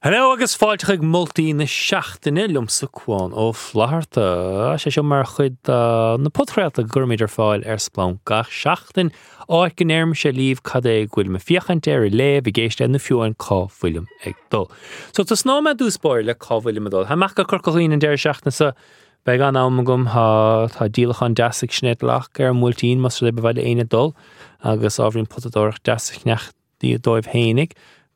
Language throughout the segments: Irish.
Hello agus fáilte chuig Moltaí na Seachtaine liomsa Cuán Ó Flatharta. Sé seo mar chuid de na podchraolta go gcuirimid ar fáil ar Splanc gach seachtain, áit go ndeirimse libh cad é go bhfuilim ag féachaint air, ag léamh, ag éisteacht nó fiú amháin cá bhfuilim ag dul. So tosnóidh mé i dtús báire le cá bhfuilim ag dul. Tá mé amach go Corca Dhuibhne an deireadh seachtaine seo. Beidh an-am agam, tá tá díolachán deas ag Sinéad Locke ar an mBuailtín más rud é ba mhaith le éinne dul agus ábhairín potadóireacht deas a cheannach dóibh fhéinig.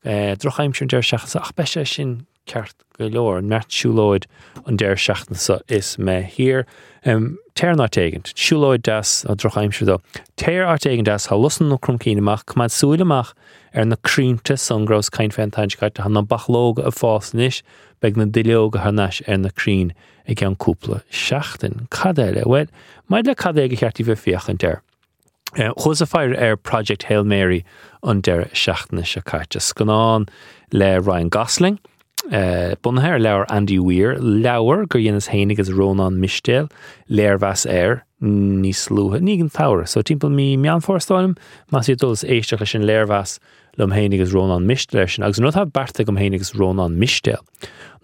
Drochaimsir an deireadh seachtaine seo ach beidh sé sin ceart go leor. Neart siúlóid an deireadh seachtaine seo is mé thiar. Téir in áit éigint. Siúlóid deas, tá drochaimsir dó. Téir áit éigin deas, tá lus na Cromcinn amach, coimeád súil amach ar na crainnte san go rabhas ag caint fé an tseachtain seo caite. Tá na bachlóga ag fás anois, beidh na duilleoga thar n-ais ar na crainn i gceann cúpla seachtain. Cad eile? Bhuel, maidir le cad é gur cheart daoibh a féachaint air. Chuas ag faire ar Project Hail Mary an deireadh seachtaine seo caite. Scannán le Ryan Gosling, bunaithe ar leabhar Andy Weir, leabhar gur dheineas féin agus Rónán Mistéil léirmheas air níos luaithe, ní an tsamhradh, so timpeall mí Meán Fómhair is dóigh liom, más iad dul is éisteacht leis an léirmheas liom féin agus Rónán Mistéil air sin. Agus an rud atá beartaithe agam féin agus Rónán Mistéil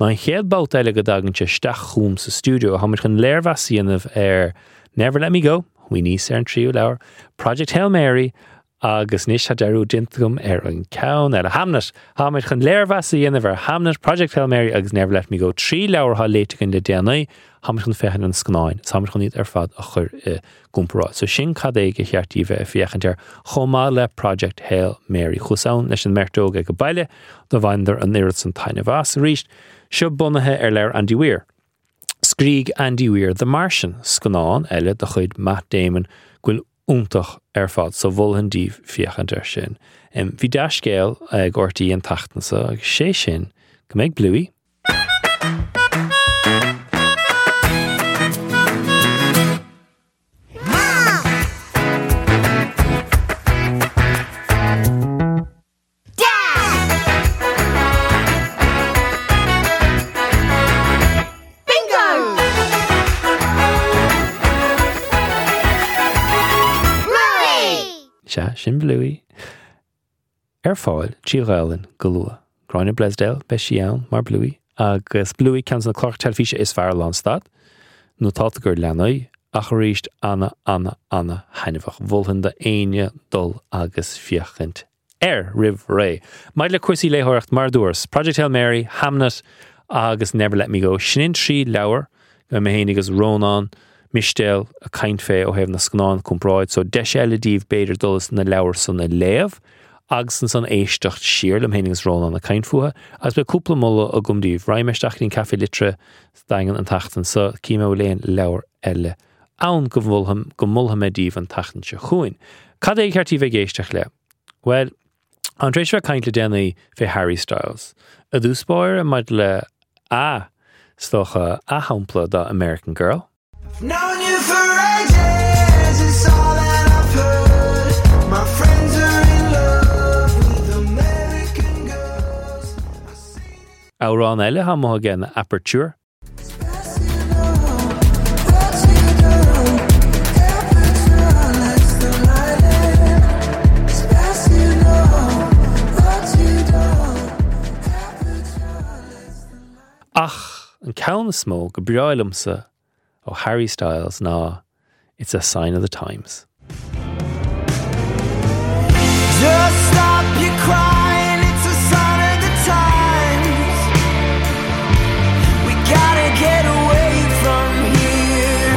ná an chéad babhta eile go dtagann sé isteach chugam sa stiúideo, táimid chun léirmheas a dhéanamh ar Never Let Me Go, Chuaigh níos ar an tríú leabhar, Project Hail Mary, agus anois tá dearúd déanta agam ar an ceann eile, Hamnet! Táimid chun léirmheas a dhéanamh ar Hamnet, Project Hail Mary agus Never Let Me Go, trí leabhar atá léite againn le déanaí. Táimid chun féachaint ar na scannáin is táimid chun iad ar fad a chur i gcomparáid. So sin cad é gur cheart daoibh bheith ag féachaint air, chomh maith le Project Hail Mary. Chuas ann leis an mbeirt óg ag an baile, do bhaineadar an oiread san taitneamh as. Arís, seo bunaithe ar leabhar Andy Weir. Scrígh Andy Weir The Martian, scannán eile de chuid Matt Damon go bhfuil iontach ar fad, so mholfainn daoibh féachaint air sin. Bhí dea-scéal ag RTÉ an tseachtain seo agus sé sin go mbeidh Bluey, Bingo! Bluey! Sea, sin Bluey. Ar fáil trí Ghaelainn go luath. Gráinne Bleasdale, beidh sí ann mar Bluey. Agus Bluey, ceann de na cláracha teilifíse is fearr lánstad, nótálta do leanaí, ach arís ana, ana, ana thaitneamhach. Mholfainn do éinne dul agus féachaint air roimh ré. Maidir le cúrsaí léitheoireacht, mar a dúras, Project Hail Mary, Hamnet agus Never Let Me Go, sin an trí leabhar go mbeidh mé féin agus Rónán Mistéil ag caint fé ó thaobh na scannán comparáid, so deis eile daoibh b'fhéidir dul is na leabhair san a léamh agus ansan éisteacht siar liom féin agus Rónán ag caint fúthu agus beidh cúpla moladh agam daoibh. Raghaidh mé isteach go dtí an Café Liteartha sa Daingean an tseachtain seo, cífidh mé an bhfuil aon leabhar eile ann go go molfaidh mé daoibh an tseachtain seo chugainn. Cad é ar cheart daoibh ag éisteacht le? Bhuel, táim tar éis bheith ag caint le déanaí fé Harry Styles. I dtús báire maidir le a, is dócha, a shampla de American Girl. I've known you for ages, it's all that I've heard. My friends are in love with American girls. I see Amhrán eile atá amuigh aige ná Aperture. Ach an ceann is mó go breá liomsa ó Harry Styles ná It's a Sign of the Times. Just stop your crying, it's a sign of the times. We gotta get away from here.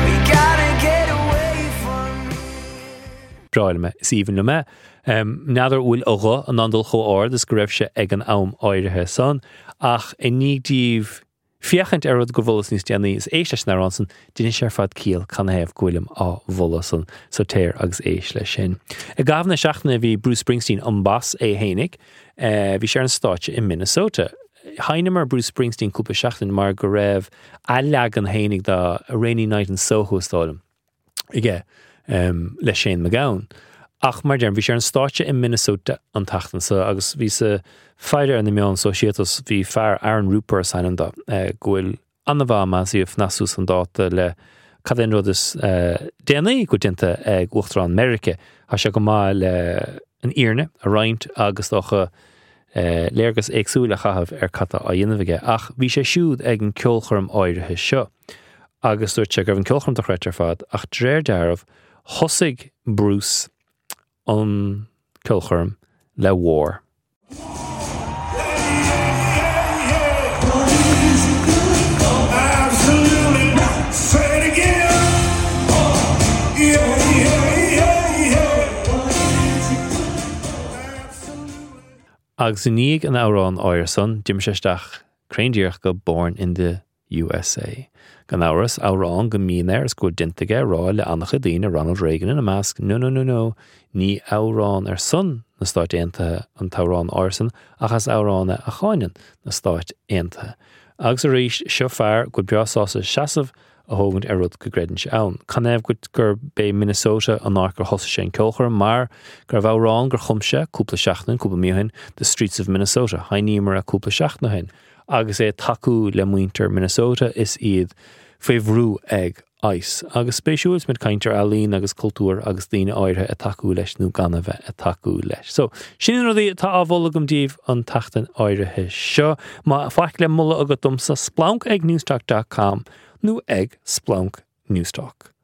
We gotta get away from here. Breá liom é, is aoibhinn liom é. N'fheadar bhfuil a ghuth in ann dul chomh ard is go raibh sé ag an am áirithe san, ach i ndiaidh daoibh féachaint ar rud gur mholas níos déanaí is éist leis an amhrán san, déanfaidh sé ar fad ciall canathaobh go bhfuilim á mholadh san, so téir agus éist leis sin. I gcaitheamh na seachtaine bhí Bruce Springsteen an boss é fhéinig, bhí sé ar an stáitse i Minnesota. Sheinneamar Bruce Springsteen cúpla seachtain mar go raibh a leagan fhéinig de A Rainy Night in Soho is dóigh liom. aige le Shane MacGowan. Ach mar deirim, bhí sé ar an stáitse i Minnesota an tseachtain seo agus bhíos ag faire ar na meáin sóisialta is bhí fear, Aaron Rupar is ainm dó, go bhfuil an-mhaith más ea fanacht suas chun dáta le cad é an rud is déanaí go bhfuil déanta ag Uachtarán Meirice. Tá sé go maith le an fhírinne a roinnt agus dócha. Léargas éagsúil a chaitheamh ar cad tá á dhéanamh aige, ach bhí sé siúd ag an ceolchoirm áirithe seo agus dúirt sé go raibh an ceolchoirm dochreidte ar fad ach de réir dealraimh thosaigh Bruce an ceolchoirm le War. Agus i ndiaidh an amhráin áirithe san, d'imigh sé isteach cruinn díreach go Born in the USA. Gan amhras, amhrán go mbíonn air is go bhfuil déanta aige rá le an-chuid daoine, Ronald Reagan ina measc, no no no no, ní amhrán ar son na Stáit Aontaithe an t-amhrán áirithe san ach is amhrán é a cháineann na Stáit Aontaithe. Agus arís, seo fear go bhfuil breá sásta seasamh a thógaint ar rud go gcreideann sé ann. Canathaobh gurb é Minnesota an áit gur thosaigh sé an ceolchoirm? Mar go raibh amhrán gur chum sé cúpla seachtain, cúpla mí ó shin, The Streets of Minnesota, sheinníomar é cúpla seachtain ó shin, agus é ag tacú le muintir Minnesota is iad faoi bhrú ag ice. Agus spéisiúil, is muid ag caint ar ealaín agus cultúr agus daoine áirithe ag tacú leis nó gan a bheith ag tacú leis. So, sin na rudaí atá á mholadh agam daoibh an tseachtain áirithe seo. Má faic le moladh agat domsa, splanc ag newstalk dot com nó ag splanc newstalk.